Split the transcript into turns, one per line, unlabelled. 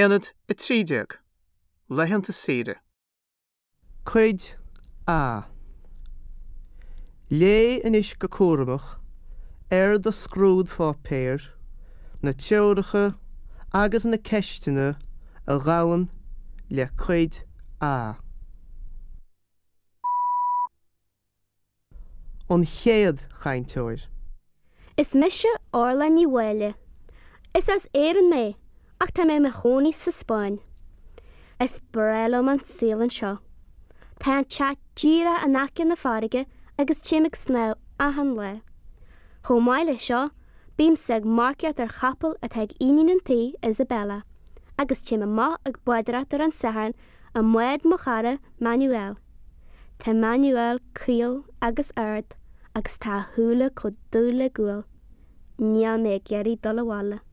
Aonad 13, Laethanta saoire. Cuid A. Léigh anois go cúramach ar do scrúdpháipéar na treoracha agus na ceisteanna a ghabhann le Cuid A. An chéad chainteoir.
Is mise Orla Ní Mháille. Is as Éirinn mé ach tá mé i mo chónaí sa Spáinn. Is breá liom an saol anseo. Tá an teach díreach in aice na farraige agus téim ag snámh achan lá. Chomh maith leis seo, bímse ag marcaíocht ar chapall atá ag iníon an tí, Isabella, agus téim amach ag bádóireacht ar an Satharn i mbád mo chara Manuel. Tá Manuel caol agus ard agus tá a shúile chomh dubh le gual. Níl mé ag iarraidh dul abhaile.